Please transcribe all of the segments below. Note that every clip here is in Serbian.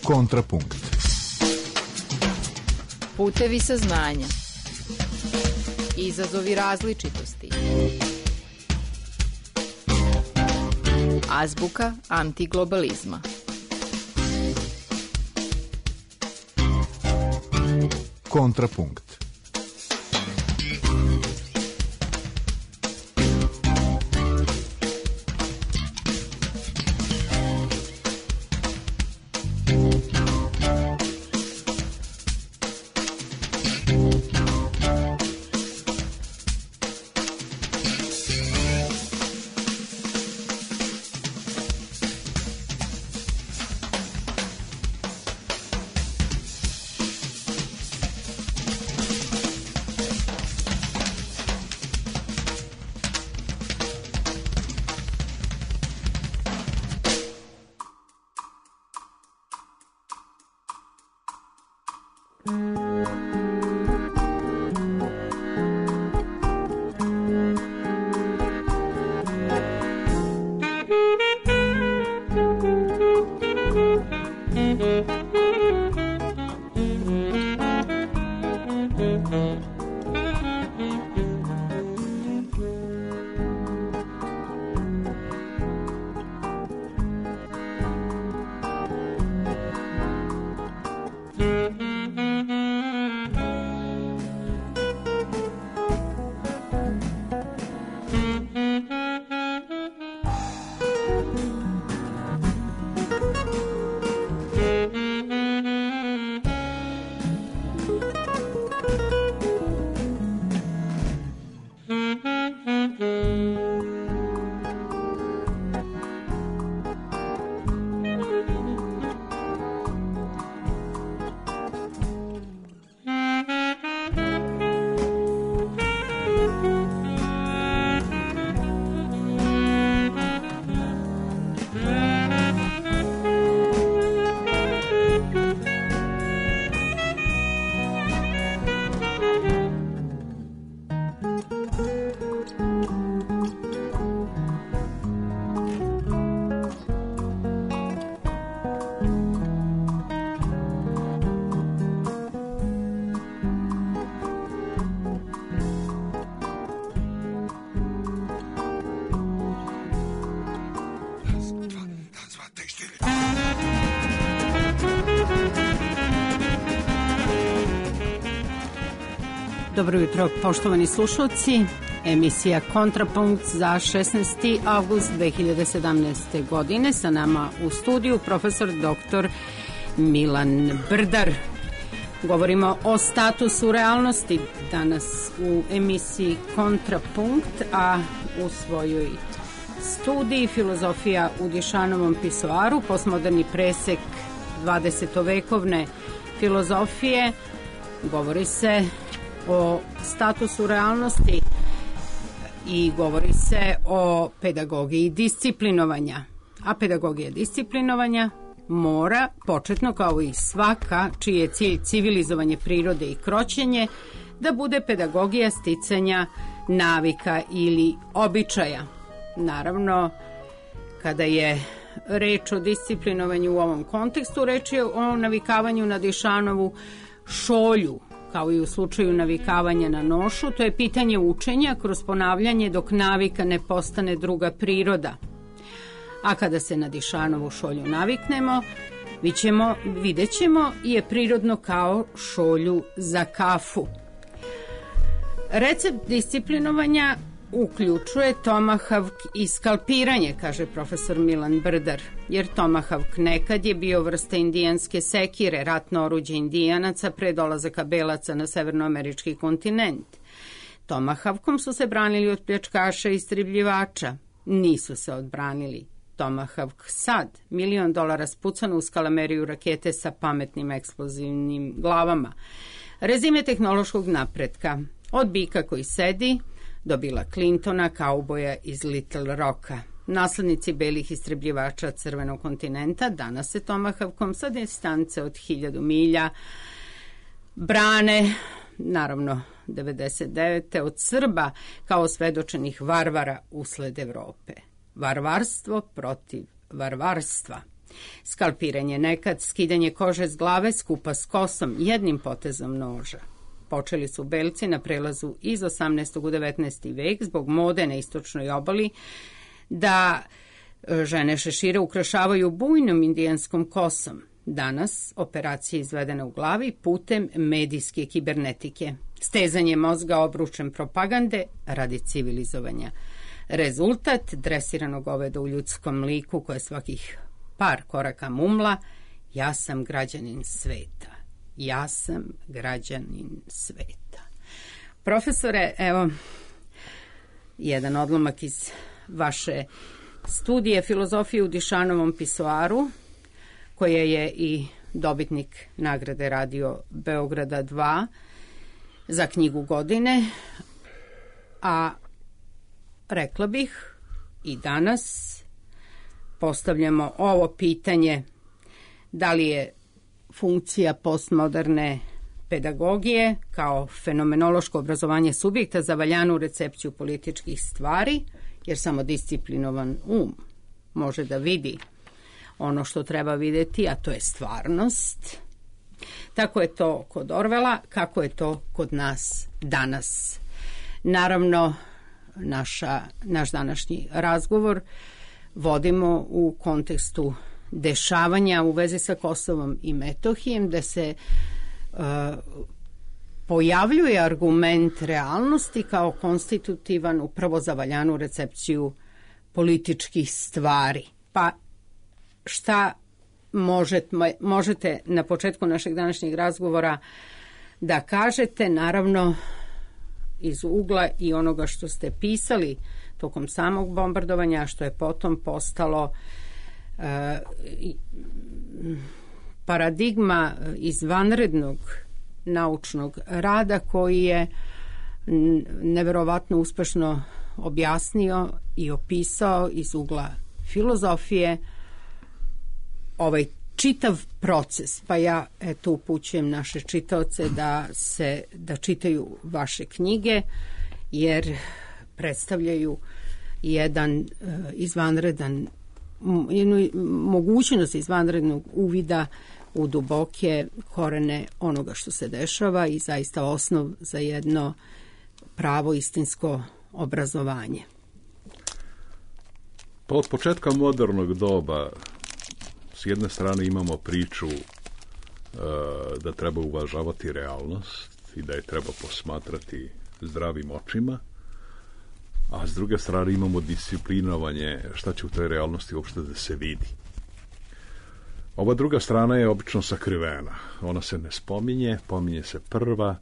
Kontrapunkt. Putevi saznanja. Izazovi različitosti. Azbuka antiglobalizma. Kontrapunkt. Dobro jutro, poštovani slušalci. Emisija Kontrapunkt za 16. avgust 2017. godine. Sa nama u studiju profesor dr. Milan Brdar. Govorimo o statusu realnosti danas u emisiji Kontrapunkt, a u svojoj studiji Filozofija u Dišanovom pisoaru, postmoderni presek 20-vekovne filozofije. Govori se o statusu realnosti i govori se o pedagogiji disciplinovanja. A pedagogija disciplinovanja mora, početno kao i svaka čiji je cilj civilizovanje prirode i kroćenje, da bude pedagogija sticanja navika ili običaja. Naravno, kada je reč o disciplinovanju u ovom kontekstu, reč je o navikavanju na Dišanovu šolju, kao i u slučaju navikavanja na nošu. To je pitanje učenja kroz ponavljanje dok navika ne postane druga priroda. A kada se na Dišanovu šolju naviknemo, vidjet ćemo je prirodno kao šolju za kafu. Recept disciplinovanja uključuje tomahawk i skalpiranje, kaže profesor Milan Brdar, jer tomahawk nekad je bio vrsta indijanske sekire, ratno oruđe indijanaca pre dolazaka belaca na severnoamerički kontinent. Tomahawkom su se branili od pljačkaša i istribljivača. Nisu se odbranili. Tomahawk sad, $1.000.000 spucano u skalameriju rakete sa pametnim eksplozivnim glavama. Rezime tehnološkog napretka. Od bika koji sedi do Billa Clintona, kauboja iz Little Rocka. Naslednici belih istrebljivača crvenog kontinenta danas se tomahawkom sa distance od 1000 milja brane, naravno 99. od Srba kao svedočenih varvara usled Evrope. Varvarstvo protiv varvarstva. Skalpiranje nekad, skidanje kože s glave skupa s kosom jednim potezom noža. Počeli su belci na prelazu iz 18. u 19. vek zbog mode na istočnoj obali da žene šešire ukrašavaju bujnom indijanskom kosom. Danas operacija izvedena u glavi putem medijske kibernetike. Stezanje mozga obručem propagande radi civilizovanja. Rezultat dresiranog goveda u ljudskom liku koje svakih par koraka mumla: ja sam građanin sveta. Ja sam građanin sveta. Profesore, evo jedan odlomak iz vaše studije filozofije u Dišanovom pisoaru, koja je i dobitnik nagrade Radio Beograda 2 za knjigu godine, a rekla bih i danas postavljamo ovo pitanje: da li je funkcija postmoderne pedagogije kao fenomenološko obrazovanje subjekta za valjanu recepciju političkih stvari, jer samo disciplinovan može da vidi ono što treba videti, a to je stvarnost. Tako je to kod Orvela, kako je to kod nas danas. Naravno, naš današnji razgovor vodimo u kontekstu dešavanja u vezi sa Kosovom i Metohijem, da se pojavljuje argument realnosti kao konstitutivan upravo za valjanu recepciju političkih stvari. Pa šta možete na početku našeg današnjeg razgovora da kažete, naravno iz ugla i onoga što ste pisali tokom samog bombardovanja, što je potom postalo paradigma izvanrednog naučnog rada koji je neverovatno uspešno objasnio i opisao iz ugla filozofije ovaj čitav proces. Pa ja eto upućujem naše čitaoce da čitaju vaše knjige, jer predstavljaju jedan jednu mogućnost izvanrednog uvida u duboke korene onoga što se dešava i zaista osnov za jedno pravo istinsko obrazovanje. Pa od početka modernog doba s jedne strane imamo priču da treba uvažavati realnost i da je treba posmatrati zdravim očima, a s druge strane imamo disciplinovanje šta će u toj realnosti uopšte da se vidi. Ova druga strana je obično sakrivena. Ona se ne spominje, pominje se prva,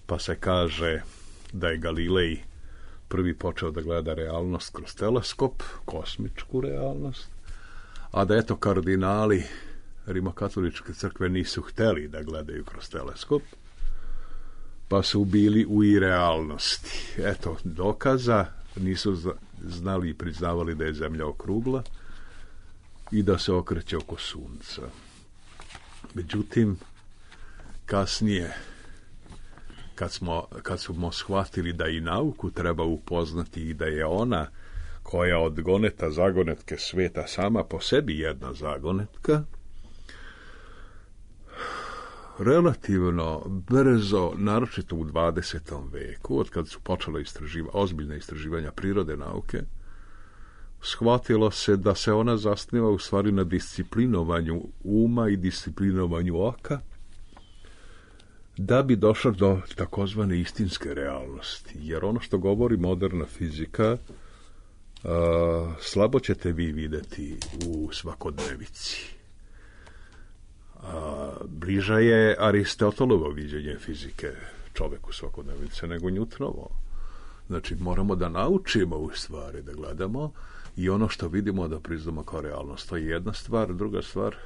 pa se kaže da je Galilej prvi počeo da gleda realnost kroz teleskop, kosmičku realnost, a da eto kardinali Rimokatoličke crkve nisu hteli da gledaju kroz teleskop, pa su bili u irealnosti. Eto dokaza, nisu znali i priznavali da je zemlja okrugla i da se okreće oko sunca. Međutim, kasnije, kad smo shvatili da i nauku treba upoznati i da je ona koja od goneta zagonetke sveta sama po sebi jedna zagonetka, relativno brzo, naročito u 20. veku, od kad su počela ozbiljna istraživanja prirode nauke, shvatilo se da se ona zasniva u stvari na disciplinovanju uma i disciplinovanju oka, da bi došla do takozvane istinske realnosti. Jer ono što govori moderna fizika, slabo ćete vi videti u svakodnevici. Bliža je Aristotelovo viđenje fizike čoveku svakodnevice nego Newtonovo. Znači, moramo da naučimo u stvari, da gledamo i ono što vidimo da priznamo kao realnost. To je jedna stvar. Druga stvar,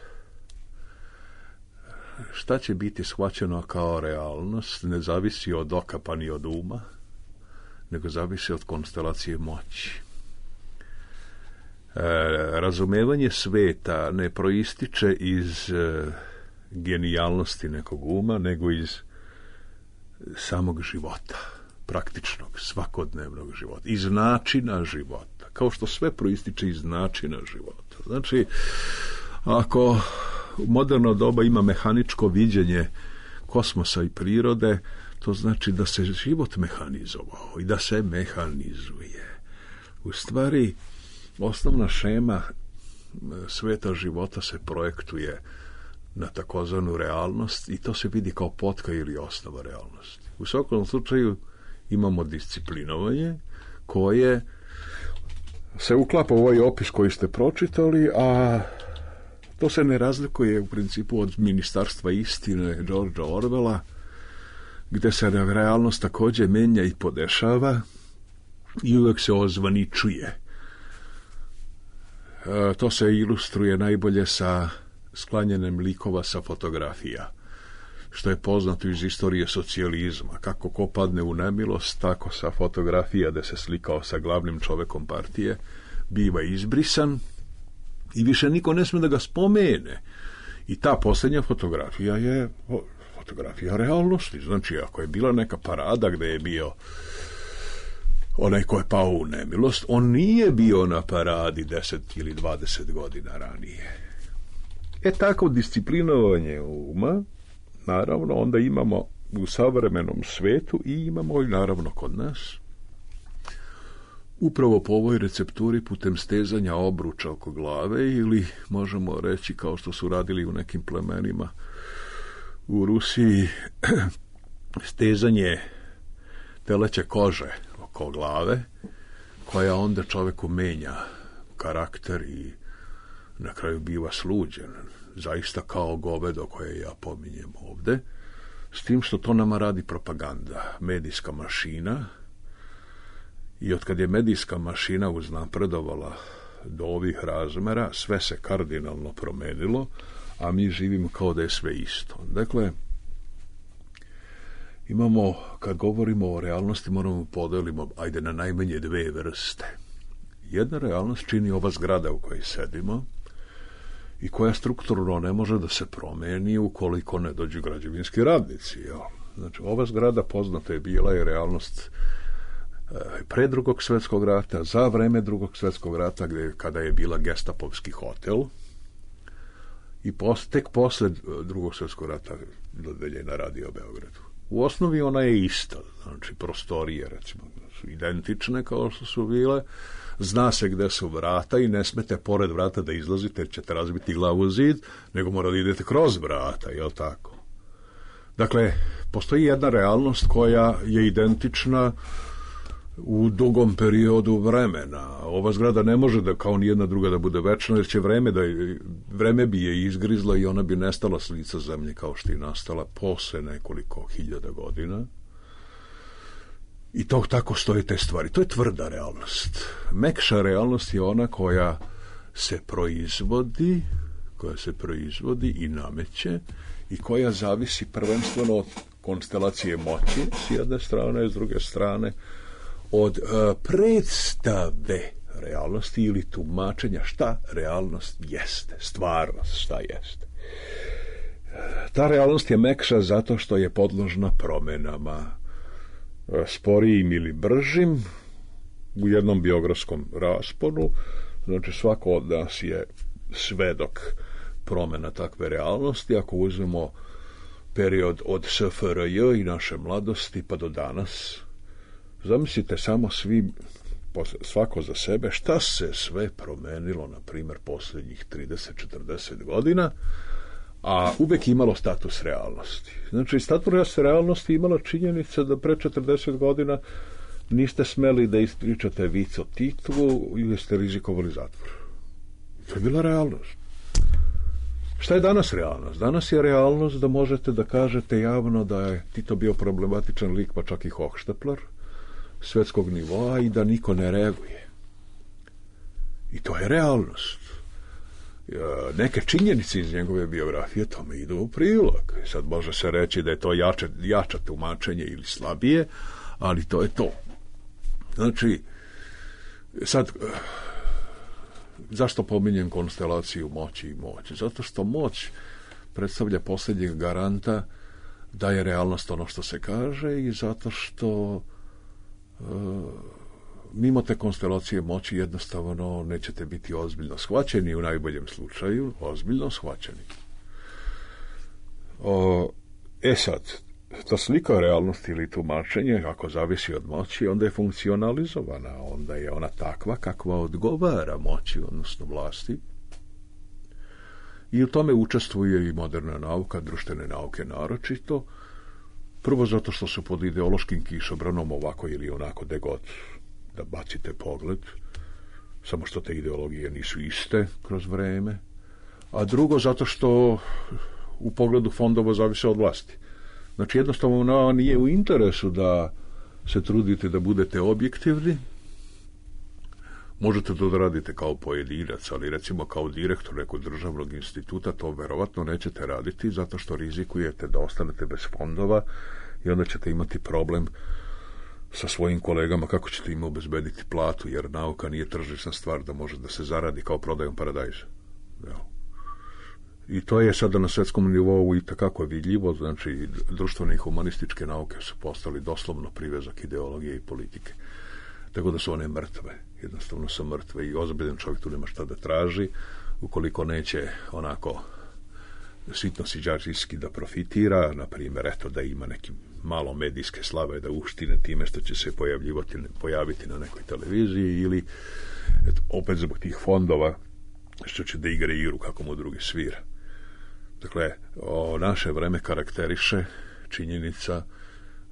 šta će biti shvaćeno kao realnost ne zavisi od oka pa ni od uma, nego zavisi od konstelacije moći. Razumevanje sveta ne proističe iz genijalnosti nekog uma, nego iz samog života, praktičnog, svakodnevnog života, iz načina života, kao što sve proističe iz načina života. Znači, Ako moderno doba ima mehaničko viđenje kosmosa i prirode, to znači da se život mehanizovao i da se mehanizuje. U stvari, osnovna šema sveta života se projektuje na takozvanu realnost i to se vidi kao potka ili osnova realnosti. U svakom slučaju imamo disciplinovanje koje se uklapa u ovaj opis koji ste pročitali, a to se ne razlikuje u principu od Ministarstva istine Georgea Orwella, gde se realnost također menja i podešava i uvek se ozvaničuje. To se ilustruje najbolje sa sklanjanjem likova sa fotografija, što je poznato iz istorije socijalizma. Kako ko padne u nemilost, tako sa fotografija da se slikao sa glavnim čovekom partije biva izbrisan i više niko ne sme da ga spomene. I ta posljednja fotografija je fotografija realnosti. Znači, ako je bila neka parada gde je bio onaj ko je pao u nemilost, on nije bio na paradi 10 ili 20 godina ranije. Tako disciplinovanje uma, naravno, onda imamo u savremenom svetu i imamo i naravno kod nas. Upravo po ovoj recepturi putem stezanja obruča oko glave ili možemo reći kao što su radili u nekim plemenima u Rusiji, stezanje teleće kože oko glave, koja onda čoveku menja karakter i na kraju biva sluđen, zaista kao govedo koje ja pominjem ovde, s tim što to nama radi propaganda, medijska mašina. I otkad je medijska mašina uznapredovala do ovih razmera, sve se kardinalno promenilo, a mi živimo kao da je sve isto. Dakle, imamo, kad govorimo o realnosti, moramo podelimo, ajde, na najmanje dve vrste. Jedna realnost čini ova zgrada u kojoj sedimo i koja strukturno ne može da se promeni ukoliko ne dođu građevinski radnici. Jel? Znači, ova zgrada poznata je bila i realnost pre Drugog svjetskog rata, za vreme Drugog svjetskog rata, kada je bila gestapovski hotel, i tek posle Drugog svjetskog rata dodeljena Radio Beogradu. U osnovi ona je ista, znači prostorije, recimo, su identične kao što su bile, zna se gde su vrata i ne smete pored vrata da izlazite jer ćete razbiti glavu u zid, nego mora da idete kroz vrata, jel tako? Dakle, postoji jedna realnost koja je identična u dugom periodu vremena. Ova zgrada ne može da, kao nijedna druga, da bude večna, jer će vreme bi je izgrizlo i ona bi nestala s lica zemlje kao što je nastala posle nekoliko hiljada godina. I to tako stoje te stvari. To je tvrda realnost. Mekša realnost je ona koja se proizvodi i nameće i koja zavisi prvenstveno od konstelacije moći s jedne strane, s druge strane od predstave realnosti ili tumačenja šta realnost jeste, stvarnost šta jeste. Ta realnost je mekša zato što je podložna promenama, sporijim ili bržim, u jednom biografskom rasponu. Znači, svako od nas je svedok promena takve realnosti. Ako uzmemo period od SFRJ i naše mladosti pa do danas, zamislite samo svako za sebe šta se sve promenilo, na primjer, posljednjih 30-40 godina, a uvek imalo status realnosti. Znači, status realnosti imala činjenica da pre 40 godina niste smeli da ispričate vic o Titu ili ste rizikovali zatvor. To je bila realnost. Šta je danas realnost? Danas je realnost da možete da kažete javno da je Tito bio problematičan lik, pa čak i Hohštapler svetskog nivoa, i da niko ne reaguje. I to je realnost. Neke činjenice iz njegove biografije tome idu u prilog. Sad može se reći da je to jače tumačenje ili slabije, ali to je to. Znači, sad, zašto pominjem konstelaciju moći i moći? Zato što moć predstavlja posljednjeg garanta da je realnost ono što se kaže, i zato što mimo te konstelacije moći jednostavno nećete biti ozbiljno shvaćeni, u najboljem slučaju ozbiljno shvaćeni. Sad, ta slika realnosti ili tumačenje, ako zavisi od moći, onda je funkcionalizovana, onda je ona takva kakva odgovara moći, odnosno vlasti. I u tome učestvuje i moderna nauka, društvene nauke naročito, prvo zato što su pod ideološkim kišobranom ovako ili onako gde god da bacite pogled, samo što te ideologije nisu iste kroz vreme, a drugo zato što u pogledu fondova zavise od vlasti. Znači jednostavno nije u interesu da se trudite da budete objektivni. Možete to da radite kao pojedinac, ali recimo kao direktor nekog državnog instituta to verovatno nećete raditi zato što rizikujete da ostanete bez fondova i onda ćete imati problem sa svojim kolegama kako ćete im obezbediti platu, jer nauka nije tržišna stvar da može da se zaradi kao prodajom paradajza. I to je sada na svetskom nivou i takako vidljivo, znači društvene i humanističke nauke su postali doslovno privezak ideologije i politike. Tako da su one mrtve, jednostavno su mrtve i ozbiljan čovjek tu nema šta da traži, ukoliko neće onako sitno siđačijski da profitira, na primjer, eto da ima neki malo medijske slave da uštine time što će se pojaviti na nekoj televiziji ili eto, opet zbog tih fondova što će da igra igru kako mu drugi svira. Dakle, naše vreme karakteriše činjenica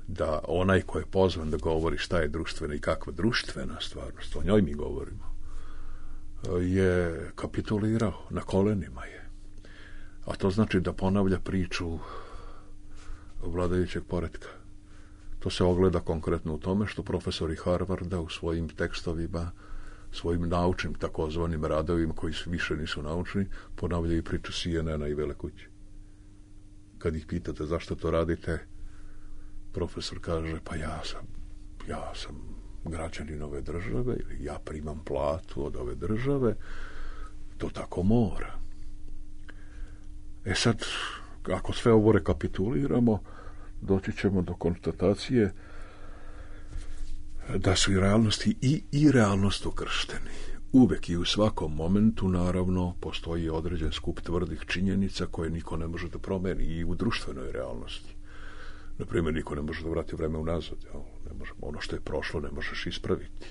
da onaj ko je pozvan da govori šta je društvena i kakva društvena stvarnost, o njoj mi govorimo, je kapitulirao, na kolenima je. A to znači da ponavlja priču vladajućeg poretka. To se ogleda konkretno u tome što profesori Harvarda u svojim tekstovima, svojim naučnim takozvanim radovima koji više nisu naučni, ponavljaju priču CNN-a i Vele kuće. Kad ih pitate zašto to radite, profesor kaže, pa ja sam građanin ove države, ili ja primam platu od ove države, to tako mora. Sad, ako sve ovo rekapituliramo, doći ćemo do konstatacije da su i realnosti i realnost ukršteni. Uvek i u svakom momentu, naravno, postoji određen skup tvrdih činjenica koje niko ne može da promeni i u društvenoj realnosti. Naprimjer, niko ne može da vrati vreme unazad. Ne može, ono što je prošlo ne možeš ispraviti.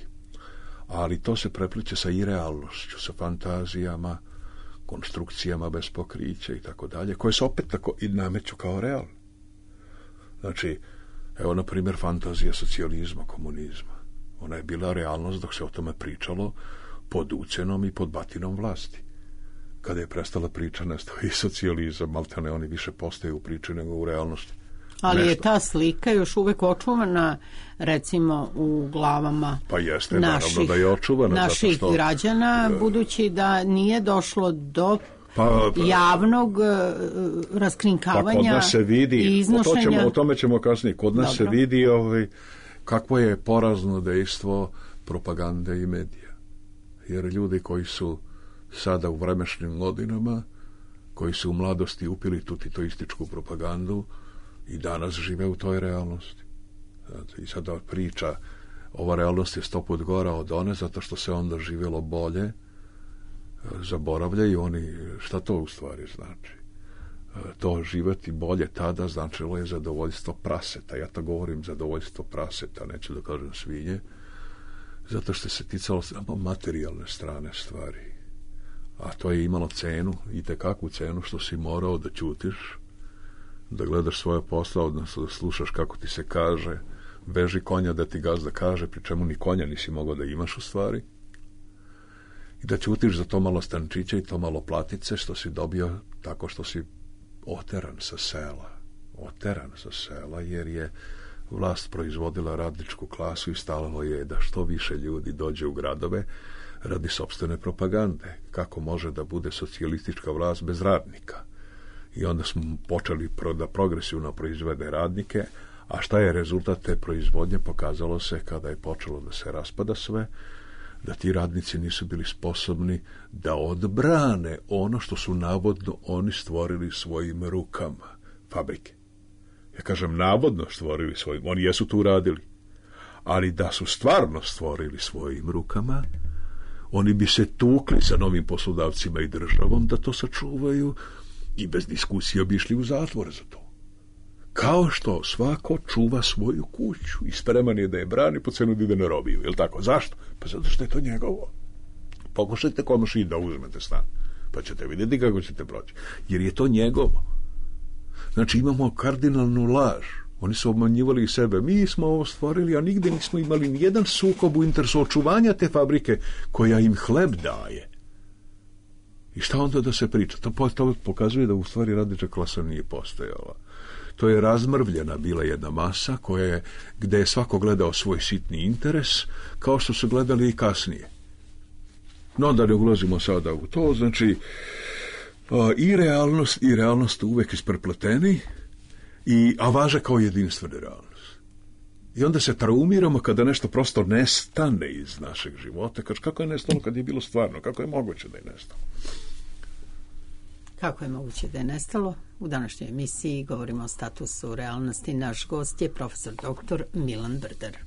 Ali to se prepliče sa irealnošću, sa fantazijama, konstrukcijama bez pokrića i tako dalje, koje se opet tako i nameću kao realne. Znači, evo, na primjer, fantazija socijalizma, komunizma. Ona je bila realnost dok se o tome pričalo pod ucenom i pod batinom vlasti. Kada je prestala priča, nestao i socijalizam, maltene oni više postaju u priči nego u realnosti. Ali nešto. Je ta slika još uvek očuvana, recimo, u glavama pa jeste, naravno da je očuvana, naših zato što, građana, budući da nije došlo do javnog raskrinkavanja pa kod nas se vidi, i iznošenja. O tome ćemo kasnije. Kod nas se vidi kakvo je porazno dejstvo propagande i medija. Jer ljudi koji su sada u vremešnim godinama, koji su u mladosti upili tu titoističku propagandu, i danas žive u toj realnosti. I sada priča, ova realnost je 100 put gora od one, zato što se onda živjelo bolje, zaboravljaju oni šta to u stvari znači. To živjeti bolje tada značilo je zadovoljstvo praseta. Ja to govorim zadovoljstvo praseta, neću da kažem svinje, zato što se ticalo samo materijalne strane stvari. A to je imalo cenu, i tekakvu cenu, što si morao da ćutiš, da gledaš svoje posla, odnosno da slušaš kako ti se kaže, veži konja da ti gazda kaže, pri čemu ni konja nisi mogao da imaš u stvari, i da ćutiš za to malo stančića i to malo platice što si dobio tako što si oteran sa sela, jer je vlast proizvodila radničku klasu i stalalo je da što više ljudi dođe u gradove radi sopstvene propagande. Kako može da bude socijalistička vlast bez radnika? I onda smo počeli da progresivno proizvede radnike, a šta je rezultat te proizvodnje? Pokazalo se kada je počelo da se raspada sve, da ti radnici nisu bili sposobni da odbrane ono što su navodno oni stvorili svojim rukama, fabrike. Ja kažem navodno stvorili svojim, oni jesu tu radili, Ali da su stvarno stvorili svojim rukama, oni bi se tukli sa novim poslodavcima i državom da to sačuvaju i bez diskusije bi išli u zatvor za to. Kao što svako čuva svoju kuću i spreman je da je brani po cenu da ide na robiju. Jel tako? Zašto? Pa zato što je to njegovo. Pokušajte konoši da uzmete stan, pa ćete vidjeti kako ćete proći. Jer je to njegovo. Znači imamo kardinalnu laž. Oni su obmanjivali i sebe. Mi smo ovo stvorili, a nigde nismo imali nijedan sukob u interesu očuvanja te fabrike koja im hleb daje. I šta onda da se priča? To pokazuje da u stvari radnička klasa nije postojala. To je razmrvljena bila jedna masa gde je svako gledao svoj sitni interes, kao što su gledali i kasnije. No, da ne ulazimo sada u to, znači i realnost uvek isprepleteni, a važe kao jedinstvena realnost. I onda se traumiramo kada nešto prosto nestane iz našeg života. Kako je nestalo kad je bilo stvarno? Kako je moguće da je nestalo? Kako je moguće da je nestalo? U današnjoj emisiji govorimo o statusu realnosti. Naš gost je profesor dr. Milan Brder.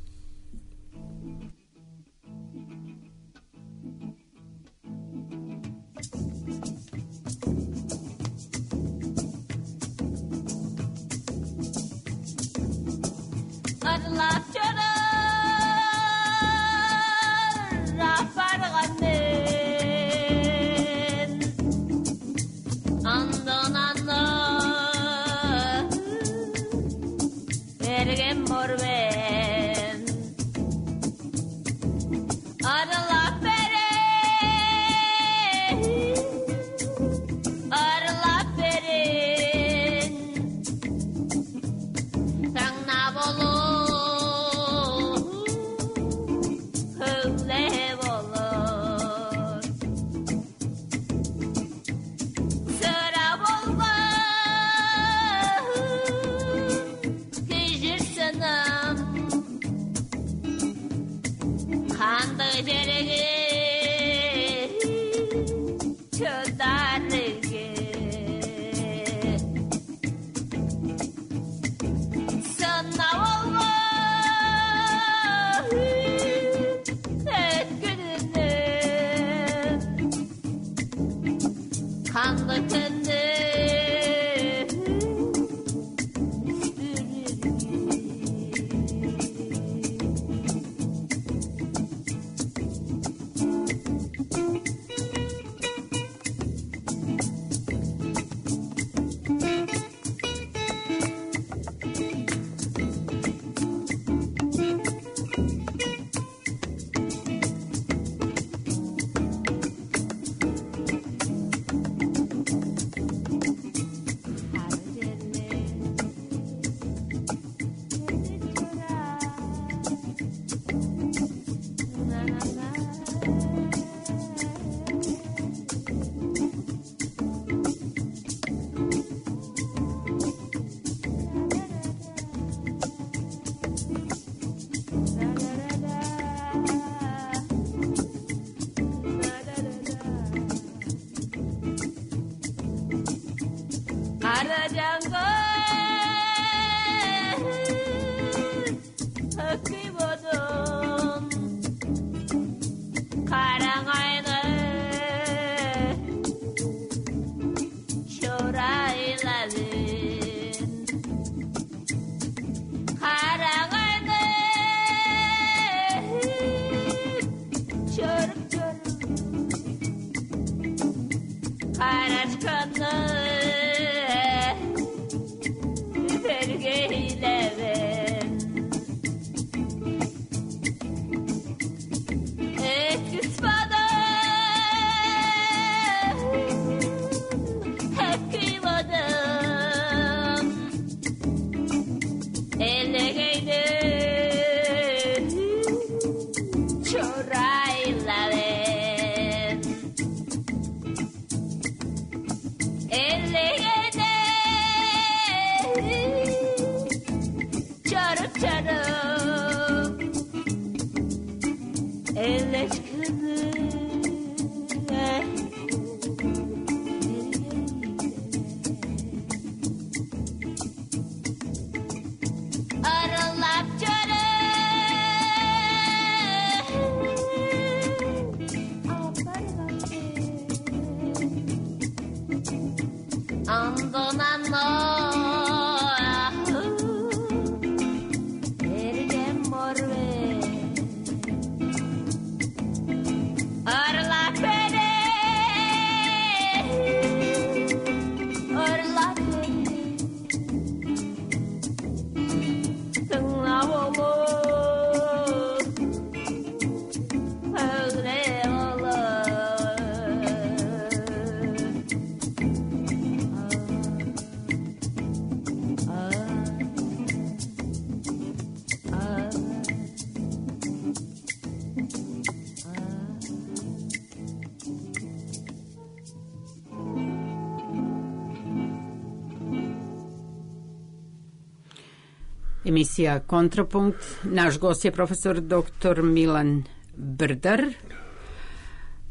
Emisija Kontrapunkt. Naš gost je profesor dr. Milan Brdar.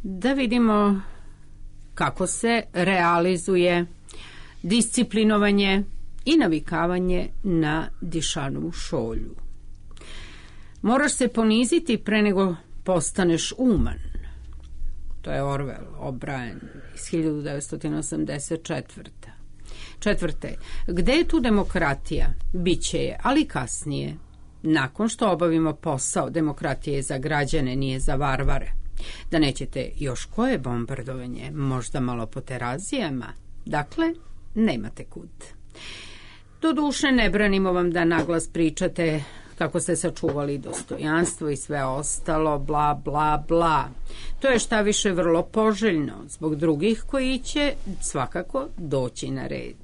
Da vidimo kako se realizuje disciplinovanje i navikavanje na dišanovu šolju. Moraš se poniziti pre nego postaneš uman. To je Orwell, O'Brien iz 1984. Četvrte, gde je tu demokratija? Biće je, ali kasnije. Nakon što obavimo posao, demokratija je za građane, nije za varvare. Da nećete još koje bombardovanje, možda malo po terazijama. Dakle, nemate kud. Doduše, ne branimo vam da naglas pričate kako ste sačuvali dostojanstvo i sve ostalo, bla, bla, bla. To je šta više vrlo poželjno zbog drugih koji će svakako doći na red.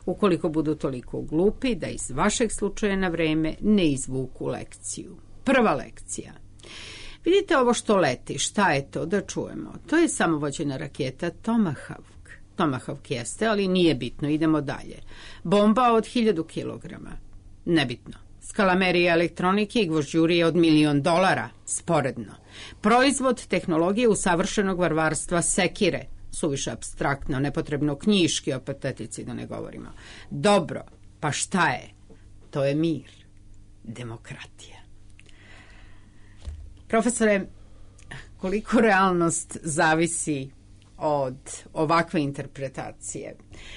Ukoliko budu toliko glupi da iz vašeg slučaja na vreme ne izvuku lekciju. Prva lekcija. Vidite ovo što leti, šta je to, da čujemo. To je samovođena raketa Tomahawk. Tomahawk jeste, ali nije bitno, idemo dalje. Bomba od 1000 kilograma. Nebitno. Skalamerija elektronike i gvožđurije od $1.000.000, sporedno. Proizvod tehnologije usavršenog varvarstva sekire, suviše apstraktno, nepotrebno knjiški, o patetici da ne govorimo. Dobro, pa šta je? To je mir, demokratija. Profesore, koliko realnost zavisi od ovakve interpretacije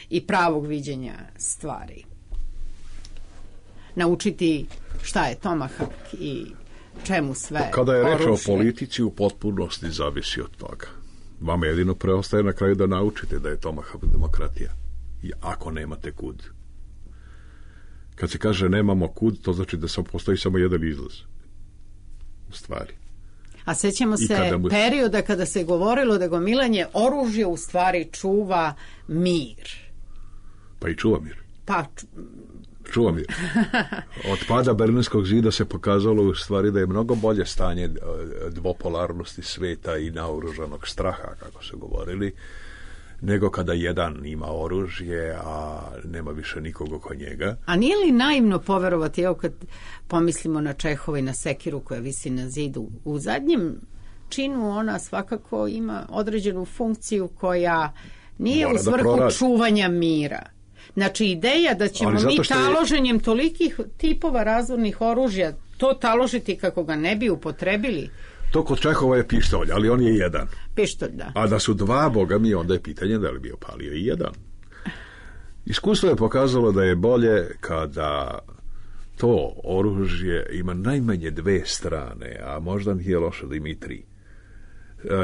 i pravog viđenja stvari? Naučiti šta je Tomahawk i čemu sve Kada je reč o oružje. politici, u potpunosti zavisi od toga. Vama jedino preostaje na kraju da naučite da je Tomahawk demokratija. I ako nemate kud. Kad se kaže nemamo kud, to znači da postoji samo jedan izlaz. U stvari. A sećamo se perioda kada se govorilo da gomilanje oružja u stvari čuva mir. Pa i čuva mir. Pa čuva mir. Od pada Berlinskog zida se pokazalo u stvari da je mnogo bolje stanje dvopolarnosti sveta i naoružanog straha, kako se govorili, nego kada jedan ima oružje, a nema više nikog oko njega. A nije li naivno poverovati, evo kad pomislimo na Čehova i na sekiru koja visi na zidu, u zadnjem činu ona svakako ima određenu funkciju koja nije u svrhu čuvanja mira. Znači, ideja da ćemo mi taloženjem tolikih tipova razvornih oružja to taložiti kako ga ne bi upotrebili. To kod Čehova je pištolj, ali on je jedan. Pištolj, da. A da su dva, boga mi, onda je pitanje da li bi opalio i jedan. Iskustvo je pokazalo da je bolje kada to oružje ima najmanje dve strane, a možda nije loše da ima i tri.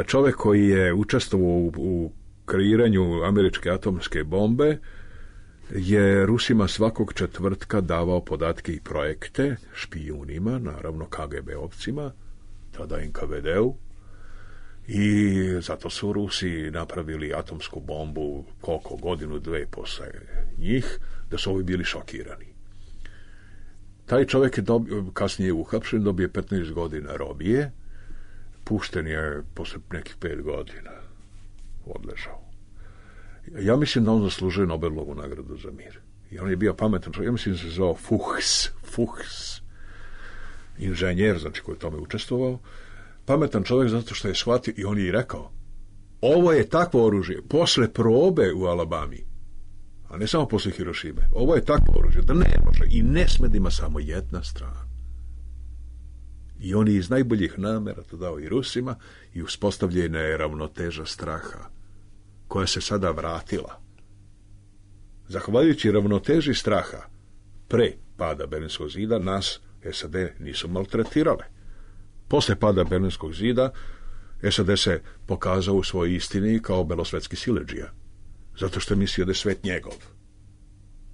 Čovjek koji je učestvovao u kreiranju američke atomske bombe je Rusima svakog četvrtka davao podatke i projekte špijunima, naravno KGB-ovcima, tada NKVD-u, i zato su Rusi napravili atomsku bombu koliko godinu, dve posle njih, da su ovi bili šokirani. Taj čovjek je kasnije uhapšen, dobije 15 godina robije, pušten je posle nekih 5 godina, odležao. Ja mislim da on zaslužuje Nobelovu nagradu za mir. I on je bio pametan čovjek, ja mislim da se zvao Fuchs, inženjer, znači koji je tome učestvovao, pametan čovjek zato što je shvatio, i on je i rekao, ovo je takvo oružje, posle probe u Alabami, a ne samo posle Hirošime, ovo je takvo oružje da ne može i ne sme da ima samo jedna strana. I on je iz najboljih namera to dao i Rusima i uspostavljena je ravnoteža straha, koja se sada vratila. Zahvaljujući ravnoteži straha pre pada Berlinskog zida, nas SAD nisu maltretirale. Posle pada Berlinskog zida, SAD se pokazao u svojoj istini kao belosvetski siledžija, zato što je mislio da je svet njegov.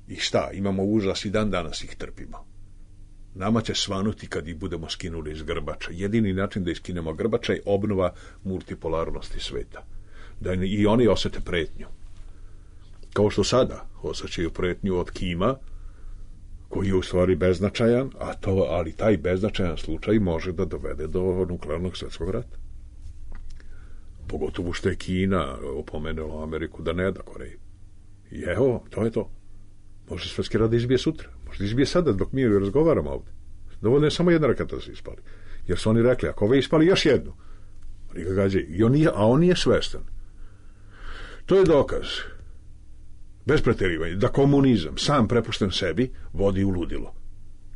I šta, imamo užas i dan danas ih trpimo. Nama će svanuti kad ih budemo skinuli iz grbača. Jedini način da iskinemo grbača je obnova multipolarnosti sveta. Da i oni osete pretnju. Kao što sada osjećaju pretnju od Kima, koji je u stvari beznačajan, ali taj beznačajan slučaj može da dovede do nuklearnog svjetskog rata. Pogotovo što je Kina opomenula Ameriku da ne da Koreji. I evo, to je to. Može svjetski rat da izbije sutra. Može da izbije sada dok mi razgovaramo ovdje. Dovoljno je samo jedna raketa da se ispali. Jer su oni rekli, ako ove ispali još jednu, oni ga gađaju. A on nije svestan. To je dokaz, bez preterivanja, da komunizam sam prepušten sebi vodi u ludilo.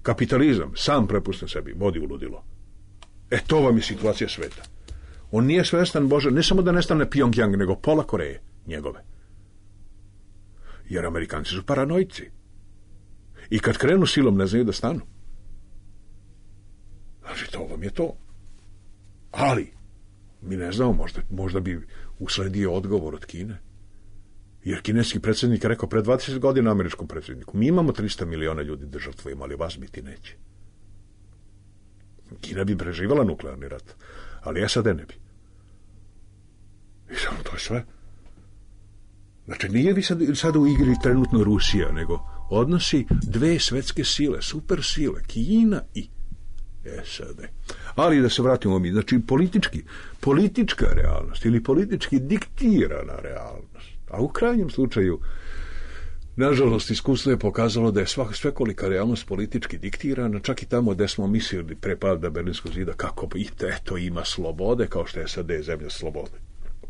Kapitalizam sam prepušten sebi vodi u ludilo. To vam je situacija sveta. On nije svestan, Bože, ne samo da nestane Pyongyang, nego pola Koreje, njegove. Jer Amerikanci su paranojci. I kad krenu silom, ne znaju da stanu. Znači, to vam je to. Ali, mi ne znamo, možda bi usledio odgovor od Kine. Jer kineski predsjednik je rekao pred 20 godina američkom predsjedniku, mi imamo 300 miliona ljudi da žrtvujemo, ali vas biti neće. Kina bi preživala nuklearni rat, ali SAD ne bi. I samo to je sve. Znači, nije vi sad u igri trenutno Rusija, nego odnosi dve svetske sile, super sile, Kina i SAD. Ali da se vratimo mi, znači politička realnost ili politički diktirana realnost, a u krajnjem slučaju, nažalost, iskustvo je pokazalo da je svekolika realnost politički diktirana, čak i tamo gde smo mislili pre pada Berlinskog zida kako bi eto ima slobode, kao što je SAD zemlja slobode.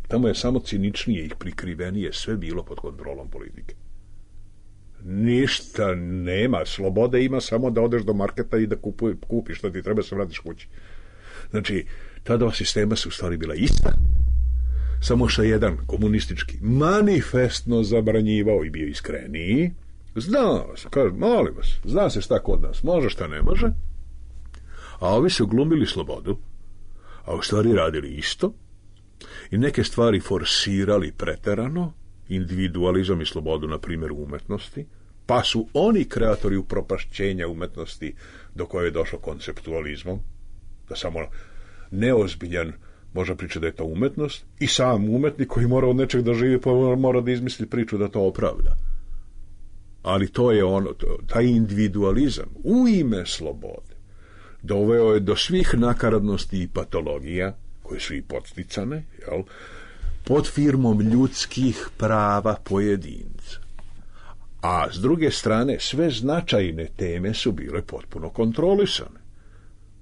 Tamo je samo ciničnije i prikrivenije sve bilo pod kontrolom politike. Ništa nema, slobode ima samo da odeš do marketa i da kupiš što ti treba, se vratiš kući. Znači, ta dva sistema su u stvari bila ista, samo što jedan komunistički manifestno zabranjivao i bio iskreniji. Znao se, kaže, molim vas, zna se šta kod nas, može šta ne može, a ovi su glumili slobodu, a u stvari radili isto i neke stvari forsirali preterano, individualizam i slobodu, na primjer, u umetnosti, pa su oni kreatori upropašćenja umetnosti do koje je došlo konceptualizmom, da samo neozbiljan može pričati da je to umetnost, i sam umetnik koji mora od nečeg da živi, pa mora da izmisli priču da to opravda. Ali to je ono, taj individualizam u ime slobode doveo je do svih nakaradnosti i patologija koje su i podsticane, jel, pod firmom ljudskih prava pojedinca. A s druge strane, sve značajne teme su bile potpuno kontrolisane.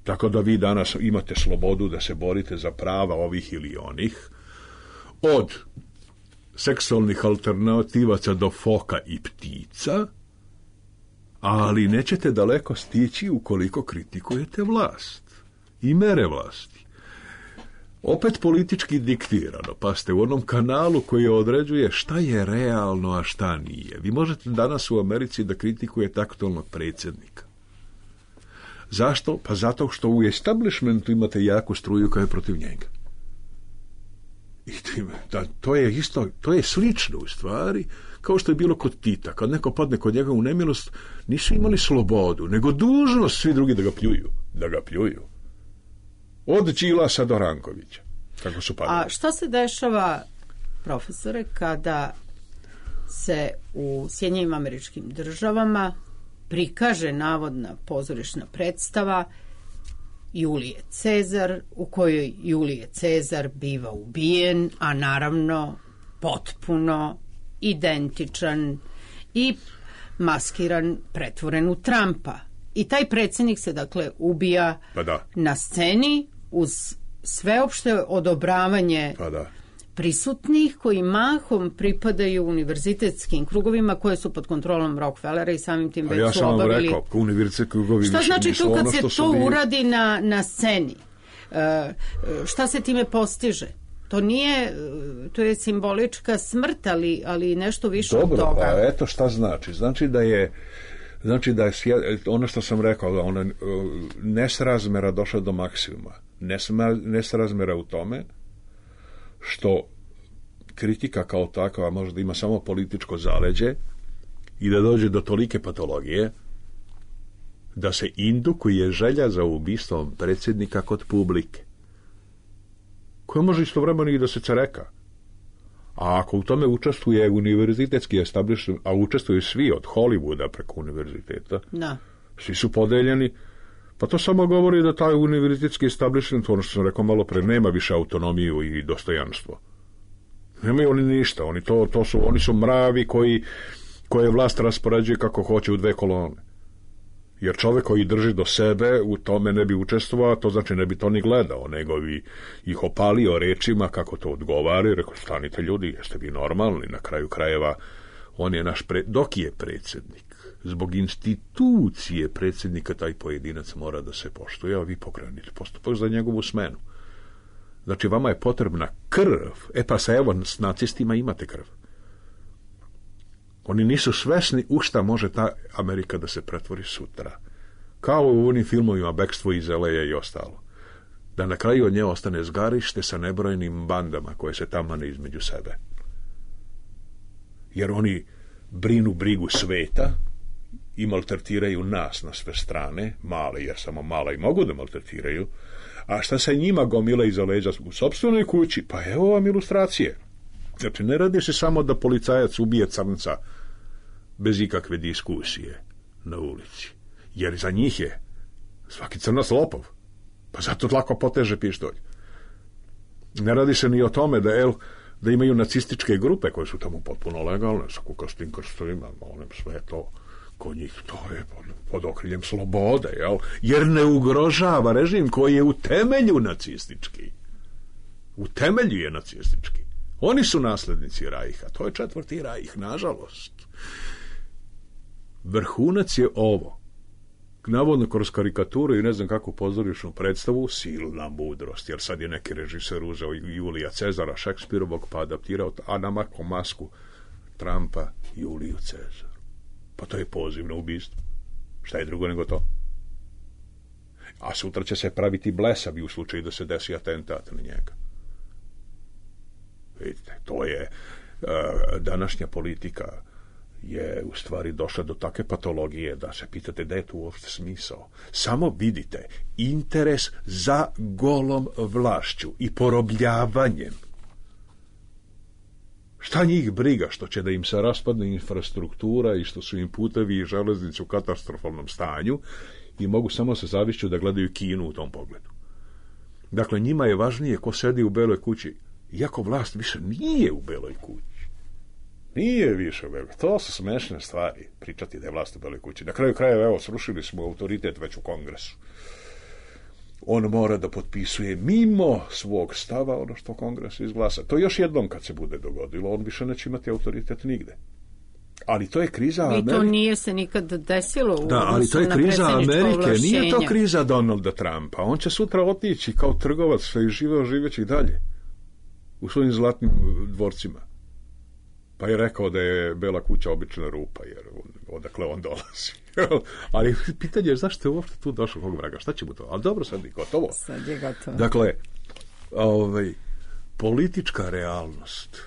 Tako da vi danas imate slobodu da se borite za prava ovih ili onih, od seksualnih alternativaca do foka i ptica, ali nećete daleko stići ukoliko kritikujete vlast i mere vlasti. Opet politički diktirano, pa ste u onom kanalu koji određuje šta je realno, a šta nije. Vi možete danas u Americi da kritikujete aktualnog predsjednika. Zašto? Pa zato što u establishmentu imate jaku struju koja je protiv njega. I to je isto, to je slično u stvari, kao što je bilo kod Tita. Kad neko padne kod njega u nemilost, nisu imali slobodu, nego dužnost svi drugi da ga pljuju. Od Đilasa do Rankovića. Kako su padali. A šta se dešava, profesore, kada se u Sjedinjenim Američkim Državama prikaže navodna pozorišna predstava Julije Cezar, u kojoj Julije Cezar biva ubijen, a naravno potpuno identičan i maskiran, pretvoren u Trumpa. I taj predsjednik se, dakle, ubija na sceni uz sveopšte odobravanje prisutnih, koji mahom pripadaju univerzitetskim krugovima koje su pod kontrolom Rockefellera i samim tim već su obavili. Ja sam vam rekao, univerzitetski krugovi šta znači to kad se to uradi na sceni? Šta se time postiže? To nije, to je simbolička smrt, ali nešto više od toga. Dobro, pa eto šta znači. Znači da je ono što sam rekao, ona nesrazmera došla do maksimuma. Nesrazmera u tome što kritika kao takva možda ima samo političko zaleđe i da dođe do tolike patologije da se indukuje želja za ubistvom predsjednika kod publike, koja može istovremeno i da se cereka. A ako u tome učestvuje univerzitetski establishment, a učestvuju svi od Hollywooda preko univerziteta, svi su podeljeni, pa to samo govori da taj univerzitetski establishment, ono što sam rekao malo pre, nema više autonomiju i dostojanstvo. Nemaju oni ništa, oni su mravi koje vlast raspoređuje kako hoće u dve kolone. Jer čovjek koji drži do sebe u tome ne bi učestvovao, to znači ne bi to ni gledao, nego bi ih opalio rečima kako to odgovara i rekao, stanite ljudi, jeste vi normalni, na kraju krajeva on je dok je predsjednik. Zbog institucije predsjednika taj pojedinac mora da se poštuje, a vi pokrenite postupak za njegovu smenu. Znači, vama je potrebna krv. Pa s nacistima imate krv. Oni nisu svesni u šta može ta Amerika da se pretvori sutra. Kao u onim filmovima Bekstvo iz LA i ostalo. Da na kraju od nje ostane zgarište sa nebrojnim bandama koje se tamane između sebe. Jer oni brinu brigu sveta i maltretiraju nas na sve strane, male, jer samo mala i mogu da maltretiraju, a šta se njima gomila iza leđa u sopstvenoj kući? Pa evo vam ilustracije. Znači, ne radi se samo da policajac ubije crnca bez ikakve diskusije na ulici. Jer za njih je svaki crnac lopov. Pa zato lako poteže pištolj. Ne radi se ni o tome da imaju nacističke grupe koje su tamo potpuno legalne, sa kukastim krstovima, sve to kod njih, to je pod okriljem slobode, jel? Jer ne ugrožava režim koji je u temelju nacistički. U temelju je nacistički. Oni su naslednici Rajha. To je 4. Rajh, nažalost. Vrhunac je ovo. Navodno kroz karikaturu i ne znam kakvu pozorišnu predstavu, silna mudrost, jer sad je neki režiser uzeo Julija Cezara, Šekspirovog, pa adaptirao, a namakao masku Trumpa Juliju Cezaru. Pa to je poziv na ubistvo. Šta je drugo nego to? A sutra će se praviti blesavi u slučaju da se desi atentat na njega. Vidite, to je današnja politika je u stvari došla do takve patologije da se pitate da je tu uopšte smisao. Samo vidite interes za golom vlašću i porobljavanjem. Šta njih briga što će da im se raspadne infrastruktura i što su im putevi i železnice u katastrofalnom stanju i mogu samo sa zavišću da gledaju Kinu u tom pogledu. Dakle, njima je važnije ko sedi u Beloj kući, iako vlast više nije u Beloj kući. Nije više u Beloj. To su smešne stvari, pričati da je vlast u Beloj kući. Na kraju krajeva, evo, srušili smo autoritet već u Kongresu. On mora da potpisuje mimo svog stava ono što Kongres izglasa. To još jednom kad se bude dogodilo, on više neće imati autoritet nigde. Ali to je kriza Amerike. I to nije se nikad desilo u ali to je kriza Amerike, nije to kriza Donalda Trumpa. On će sutra otići kao trgovac što je živeći dalje u svojim zlatnim dvorcima. Pa je rekao da je Bela kuća obična rupa, jer odakle on dolazi. Ali pitanje je zašto je uopšte tu došao kog vraga, šta će mu to? Ali dobro, sad je gotovo. Sad je gotovo. Dakle, politička realnost,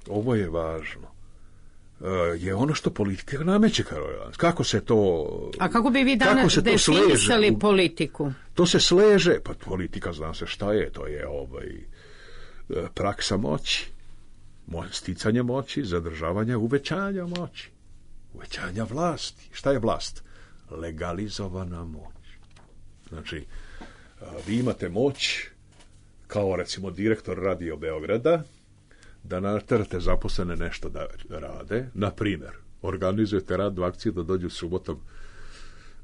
ovo je važno, je ono što politika nameće kao realnost. Kako se to... A kako bi vi danas definisali politiku? To se sleže, pa politika zna se šta je, to je praksa moći. Sticanje moći, zadržavanja, uvećanja moći, uvećanja vlasti. Šta je vlast? Legalizovana moć. Znači, vi imate moć kao recimo direktor Radio Beograda da naterate zaposlene nešto da rade. Na primjer, organizujete rad 2 akcije da dođu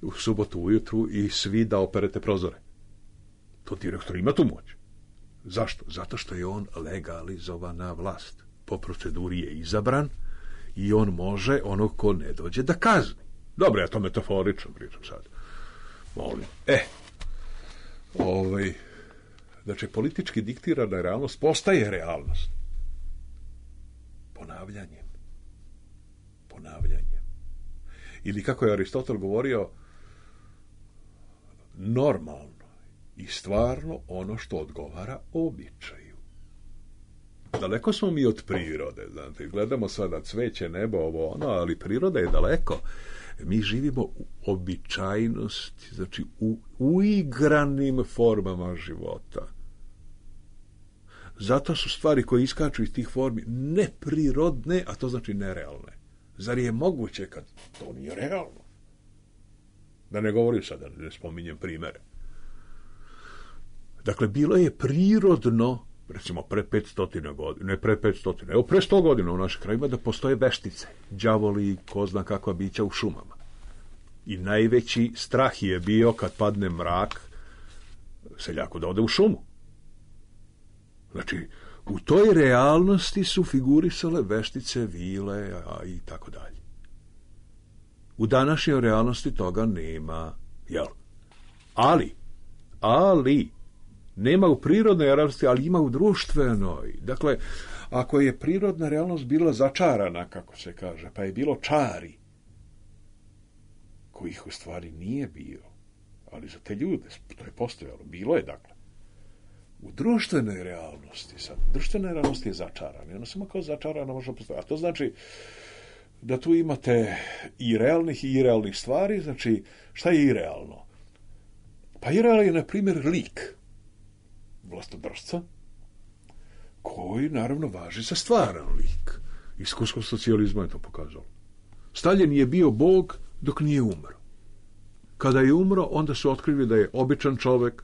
u subotu ujutru i svi da operete prozore. To direktor ima tu moć. Zašto? Zato što je on legalizovana vlast. Po proceduri je izabran i on može onog ko ne dođe da kazni. Dobro, ja to metaforično pričam sad. Molim. Znači, politički diktirana realnost postaje realnost. Ponavljanjem. Ili kako je Aristotel govorio, normalno i stvarno ono što odgovara običaju. Daleko smo mi od prirode, znate, gledamo sada cveće, nebo, ovo, ono, ali priroda je daleko. Mi živimo u običajnosti, znači u uigranim formama života. Zato su stvari koje iskaču iz tih formi neprirodne, a to znači nerealne. Zar je moguće kad to nije realno? Da ne govorim sada, ne spominjem primere. Dakle, bilo je prirodno, recimo pre 500 godina, ne pre 500, evo pre 100 godina u našim krajima da postoje veštice, đavoli, ko zna kakva bića u šumama. I najveći strah je bio kad padne mrak seljaku da ode u šumu. Znači, u toj realnosti su figurisale veštice, vile i tako dalje. U današnjoj realnosti toga nema, jel? Ali, nema u prirodnoj realnosti, ali ima u društvenoj. Dakle, ako je prirodna realnost bila začarana, kako se kaže, pa je bilo čari, kojih u stvari nije bilo, ali za te ljude to je postojalo, bilo je, dakle. U društvenoj realnosti, sad, društvena realnost je začarana, ona samo kao začarana može postojati. A to znači da tu imate i realnih i irealnih stvari, znači, šta je irealno? Pa irealno je, na primjer, lik vlastodržca, koji, naravno, važi za stvaran lik. Iskustvo socijalizma je to pokazalo. Stalin je bio bog dok nije umro. Kada je umro, onda su otkrili da je običan čovek,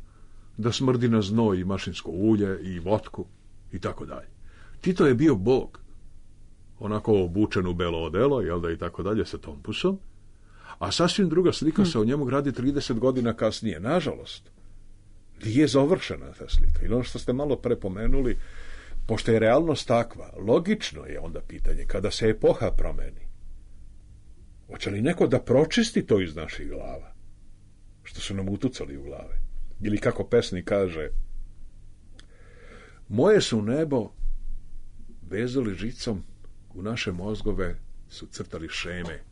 da smrdi na znoj i mašinsko ulje i votku i tako dalje. Tito je bio bog, onako obučen u belo odelo, jel da, i tako dalje, sa tompusom, a sasvim druga slika se o njemu gradi 30 godina kasnije. Nažalost, nije završena ta slika. I ono što ste malo prepomenuli, pošto je realnost takva, logično je onda pitanje, kada se epoha promeni, hoće li neko da pročisti to iz naših glava, što su nam utucali u glave? Ili kako pesnik kaže, moje su nebo vezali žicom, u naše mozgove su crtali šeme.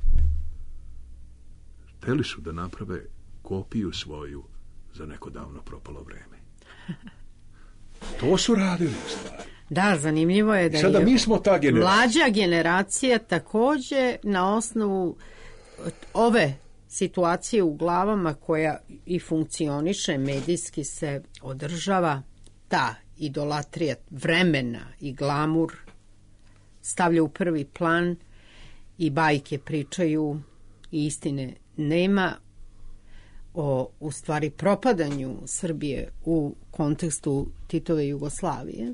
Hteli su da naprave kopiju svoju za neko davno propalo vreme. To su radili stvari. Da, zanimljivo je da sada je mi smo ta generacija. Mlađa generacija takođe na osnovu ove situacije u glavama koja i funkcioniše, medijski se održava, ta idolatrija vremena i glamur stavlja u prvi plan i bajke pričaju i istine nema o, u stvari, propadanju Srbije u kontekstu Titove Jugoslavije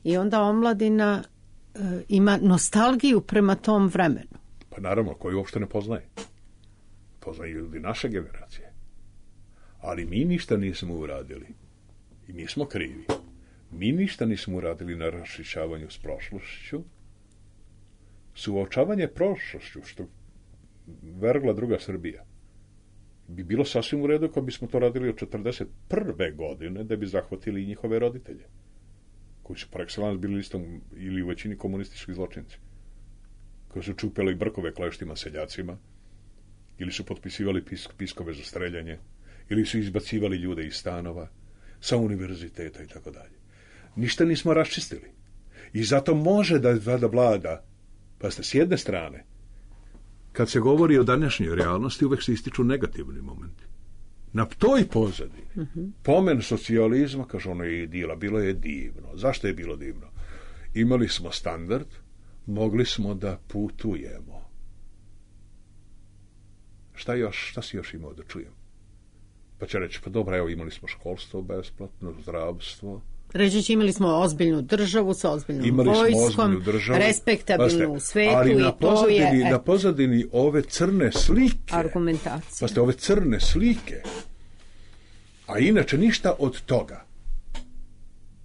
i onda omladina ima nostalgiju prema tom vremenu. Pa naravno, koji uopšte ne poznaje. Poznaju ljudi naše generacije. Ali mi ništa nismo uradili. I mi smo krivi. Mi ništa nismo uradili na raščišćavanju s prošlošću. Suočavanje prošlošću, što vergla druga Srbija, bi bilo sasvim u redu kad bismo to radili od 41. godine, da bi zahvatili i njihove roditelje, koji su par excellence bili listom ili u većini komunistički zločinci, koji su čupili brkove kleštima seljacima, ili su potpisivali piskove za streljanje, ili su izbacivali ljude iz stanova, sa univerziteta i tako dalje. Ništa nismo raščistili. I zato može da vlada, pa ste s jedne strane, kad se govori o današnjoj realnosti, uvek se ističu negativni momenti. Na toj pozadini, pomen socijalizma, kaže, ono je idila, bilo je divno. Zašto je bilo divno? Imali smo standard, mogli smo da putujemo. Šta si još imao da čujem? Pa će reći, pa dobro, evo, imali smo školstvo besplatno, zdravstvo. Reći će, imali smo ozbiljnu državu sa ozbiljnom vojskom, respektabilnu u svetu, ali i to je... na pozadini ove crne slike... Argumentacija. Pa ste ove crne slike, a inače ništa od toga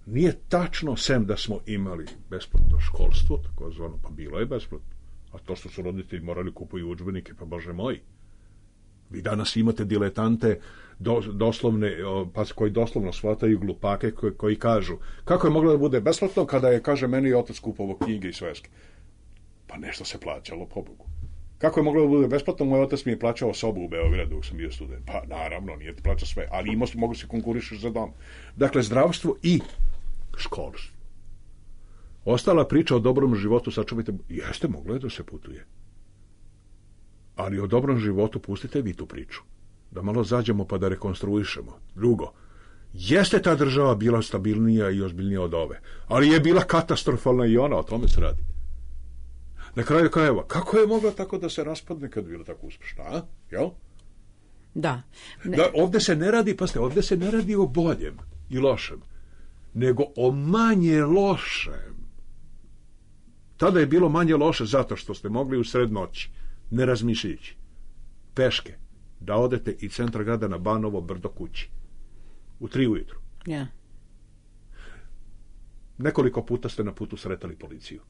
nije tačno, sem da smo imali besplatno školstvo, tako zvano, pa bilo je besplatno. A to što su roditelji morali kupuju udžbenike, pa bože moji. Vi danas imate diletante doslovne, pa koji doslovno shvataju glupake koji kažu kako je moglo da bude besplatno kada je, kaže, meni otac kupovao knjige i sveske. Pa nešto se plaćalo, pobogu. Kako je moglo da bude besplatno? Moj otac mi je plaćao sobu u Beogradu dok sam bio student. Pa naravno, nije ti plaćao sve, ali mogu se konkurišeš za dom. Dakle, zdravstvo i školstvo. Ostala priča o dobrom životu, sačuvajte, jeste, moglo je da se putuje. Ali o dobrom životu pustite vi tu priču. Da malo zađemo pa da rekonstruišemo. Drugo, jeste ta država bila stabilnija i ozbiljnija od ove, ali je bila katastrofalna i ona, o tome se radi. Na kraju krajeva, kako je mogla tako da se raspadne kad je bila tako uspešna, a? Jel? Da. Da, ovde se ne radi, pasite, ovde se ne radi o boljem i lošem, nego o manje lošem. Tada je bilo manje loše zato što ste mogli u sred noći, ne razmišljajući, peške, da odete iz centra grada na Banovo brdo kući. U 3 ujutru. Ja. Nekoliko puta ste na putu sretali policiju.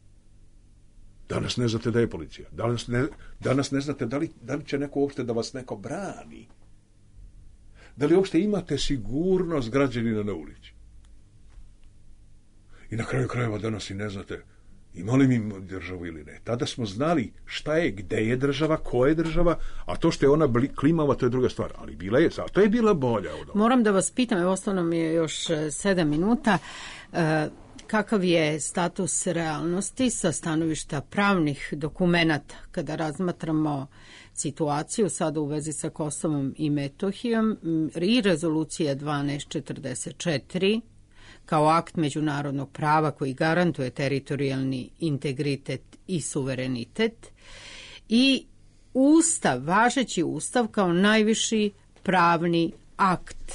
Danas ne znate da je policija. Danas ne znate da li će neko uopšte da vas neko brani. Da li uopšte imate sigurnost građanina na ulici. I na kraju krajeva danas i ne znate ima li mi državu ili ne. Tada smo znali šta je, gde je država, ko je država, a to što je ona klimava, to je druga stvar. Ali bila je, zato je bila bolja od ovoga. Moram da vas pitam, evo ostalo mi je još 7 minuta, kakav je status realnosti sa stanovišta pravnih dokumenata kada razmatramo situaciju sada u vezi sa Kosovom i Metohijom i rezolucija 1244 kao akt međunarodnog prava koji garantuje teritorijalni integritet i suverenitet i Ustav, važeći Ustav kao najviši pravni akt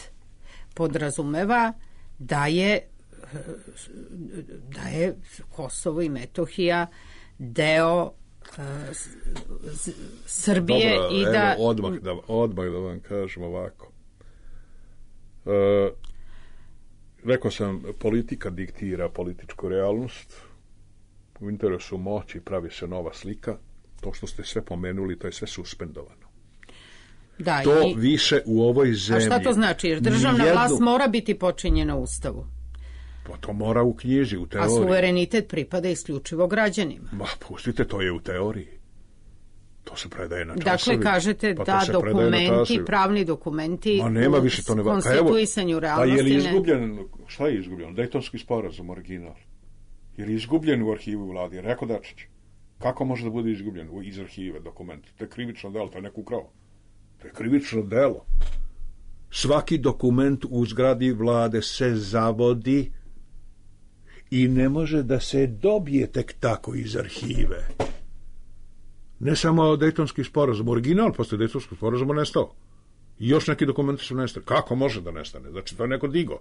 podrazumeva da je Kosovo i Metohija deo Srbije. Dobro, i da... odmah da vam kažem ovako. Rekao sam, politika diktira političku realnost, u interesu moći pravi se nova slika, to što ste sve pomenuli, to je sve suspendovano. Da, to više u ovoj zemlji... A šta to znači? Jer državna vlast mora biti počinjena Ustavu. Pa to mora u knjiži, u teoriji. A suverenitet pripada isključivo građanima. Ma, pustite, to je u teoriji. To se predaje na časovima. Dakle, kažete da dokumenti, pravni dokumenti u konstituisanju realnosti... Pa je li izgubljen, šta je izgubljeno? Dejtonski sporazum, original. Je li izgubljen u arhivu vladi? Rekao Dačić. Kako može da bude izgubljen iz arhive dokument? To je krivično delo, to je neko ukrao. To je krivično delo. Svaki dokument u zgradi vlade se zavodi i ne može da se dobije tek tako iz arhive. Ne samo Dejtonski sporazum, original posle Dejtonskog sporazuma nestao. I još neki dokumenti su nestali. Kako može da nestane? Znači, to je neko digo.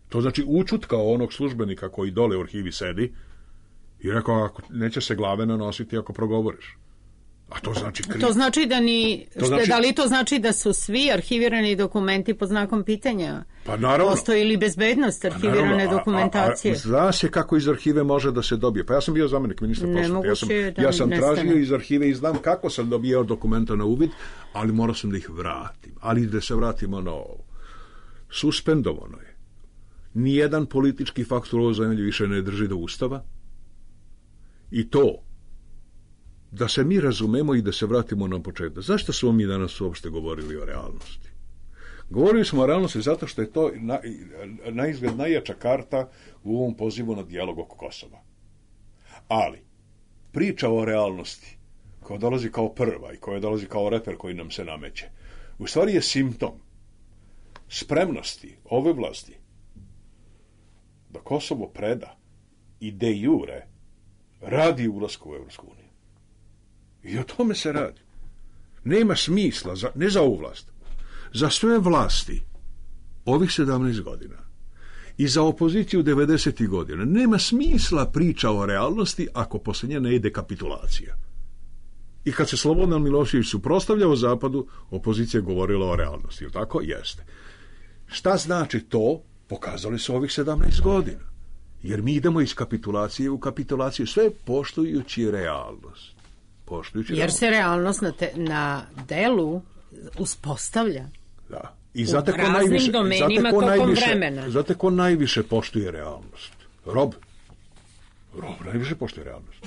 To znači učutkao onog službenika koji dole u arhivi sedi i rekao, ako neće se glave nanositi ako progovoriš. A to znači To znači da da li to znači da su svi arhivirani dokumenti pod znakom pitanja? Pa naravno. Postoji li bezbednost arhivirane dokumentacije? Zna se kako iz arhive može da se dobije. Pa ja sam bio zamenik ministra prosvete. Ja sam tražio iz arhive i znam kako sam dobijao dokumenta na uvid, ali morao sam da ih vratim. Ali da se vratimo na ovo. Suspendovano je. Nijedan politički faktor u ovoj zemlji više ne drži do Ustava i to da se mi razumemo i da se vratimo na početak. Zašto smo mi danas uopšte govorili o realnosti? Govorili smo o realnosti zato što je to naizgled najjača karta u ovom pozivu na dijalog oko Kosova. Ali, priča o realnosti koja dolazi kao prva i koja dolazi kao reper koji nam se nameće, u stvari je simptom spremnosti ove vlasti da Kosovo preda i de jure radi ulasku u Evropsku uniju. I o tome se radi. Nema smisla, ne za ovu vlast, za sve vlasti ovih 17 godina i za opoziciju 90. godina. Nema smisla priča o realnosti ako posle nje ne ide kapitulacija. I kad se Slobodan Milošević suprotstavljao Zapadu, opozicija je govorila o realnosti. Jel tako? Jeste. Šta znači to? Pokazali su ovih 17 godina. Jer mi idemo iz kapitulacije u kapitulaciju, sve poštujući realnost. Jer se realnost na delu uspostavlja. Da. I u raznim domenima tokom vremena. Znate ko najviše poštuje realnost? Rob najviše poštuje realnost.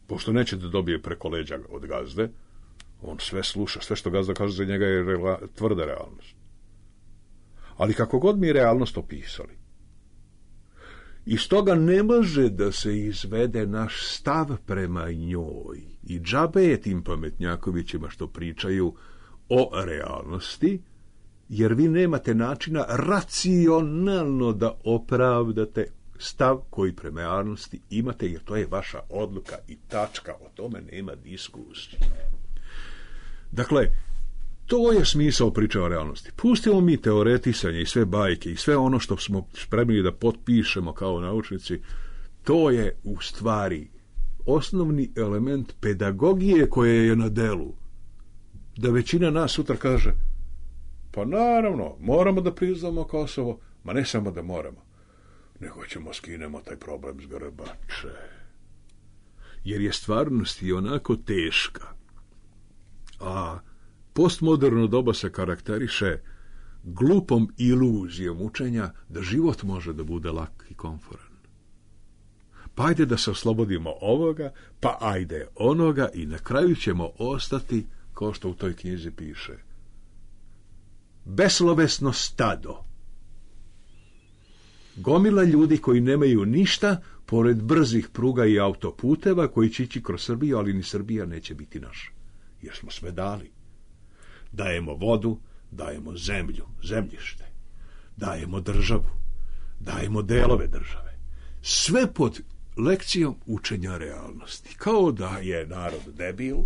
Pošto neće da dobije preko leđa od gazde, on sve sluša, sve što gazda kaže za njega je tvrda realnost. Ali kako god mi realnost opisali, iz toga ne može da se izvede naš stav prema njoj. I džabe je tim pametnjakovićima što pričaju o realnosti, jer vi nemate načina racionalno da opravdate stav koji prema realnosti imate, jer to je vaša odluka i tačka, o tome nema diskusije. Dakle, to je smisao priče o realnosti. Pustimo mi teoretisanje i sve bajke i sve ono što smo spremni da potpišemo kao naučnici, to je u stvari osnovni element pedagogije koje je na delu. Da većina nas sutra kaže, pa naravno, moramo da priznamo Kosovo, ma ne samo da moramo, nego ćemo skinemo taj problem s grbače. Jer je stvarnost i onako teška. A postmoderno doba se karakteriše glupom iluzijom učenja da život može da bude lak i komforan. Pa ajde da se oslobodimo ovoga, pa ajde onoga i na kraju ćemo ostati, kao što u toj knjizi piše, beslovesno stado. Gomila ljudi koji nemaju ništa, pored brzih pruga i autoputeva koji će ići kroz Srbiju, ali ni Srbija neće biti naša, jer smo sve dali. Dajemo vodu, dajemo zemlju, zemljište, dajemo državu, dajemo delove države. Sve pod lekcijom učenja realnosti. Kao da je narod debil,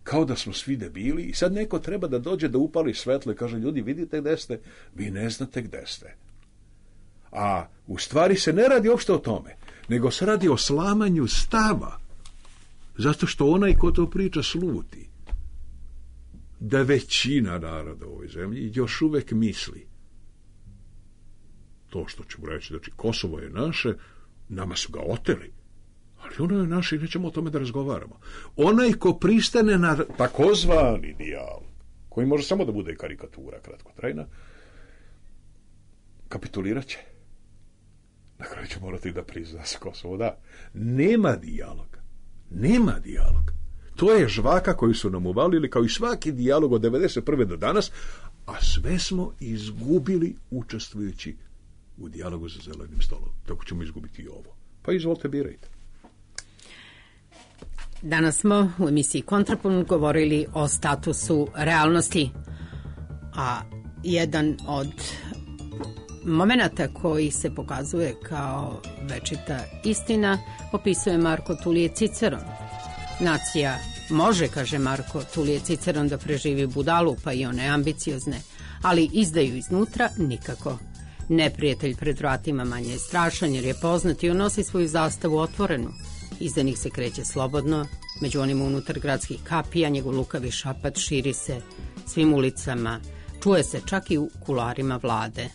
kao da smo svi debili i sad neko treba da dođe da upali svetlo i kaže, ljudi, vidite gde ste, vi ne znate gde ste. A u stvari se ne radi uopšte o tome, nego se radi o slamanju stava, zato što onaj ko to priča sluti da većina naroda u ovoj zemlji još uvek misli to što ćemo reći, znači Kosovo je naše, nama su ga oteli, ali ono je naše i nećemo o tome da razgovaramo. Onaj ko pristane na takozvani dijalog, koji može samo da bude karikatura kratkotrajna, kapitulirat će. Na kraju će morati da prizna se Kosovo da. Nema dijaloga. Nema dijaloga. To je žvaka koju su nam uvalili kao i svaki dijalog od 1991. do danas, a sve smo izgubili učestvujući u dijalogu za zelenim stolom. Tako ćemo izgubiti i ovo. Pa izvolite, birajte. Danas smo u emisiji Kontrapunkt govorili o statusu realnosti, a jedan od momenata koji se pokazuje kao večita istina opisuje Marko Tulije Ciceron. Nacija može, kaže Marko Tulije Ciceron, da preživi budalu, pa i one ambiciozne, ali izdaju iznutra nikako. Neprijatelj pred vratima manje je strašan jer je poznat i on nosi svoju zastavu otvorenu. Izdanih se kreće slobodno, među onim unutar gradskih kapija njegov lukavi šapat širi se svim ulicama, čuje se čak i u kularima vlade.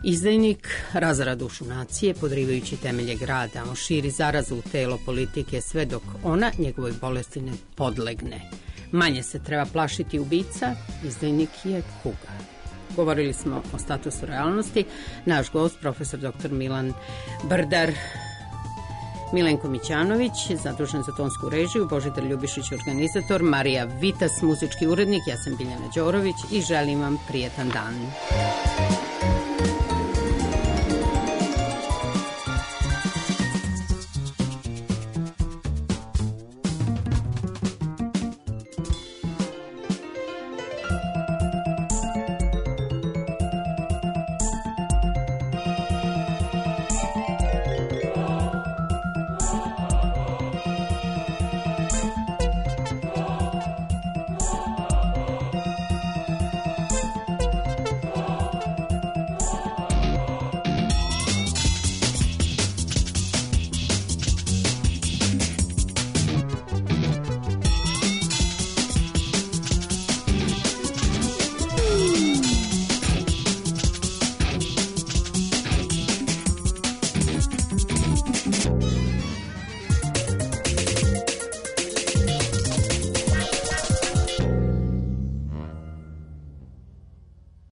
Izdajnik razara dušu nacije, podrivajući temelje grada, on širi zarazu u telo politike sve dok ona njegovoj bolesti ne podlegne. Manje se treba plašiti ubica, izdajnik je kuga. Govorili smo o statusu realnosti. Naš gost, profesor dr. Milan Brdar, Milenko Mićanović, zadužen za tonsku režiju, Božidar Ljubišić, organizator, Marija Vitas, muzički urednik, ja sam Biljana Đorović i želim vam prijetan dan.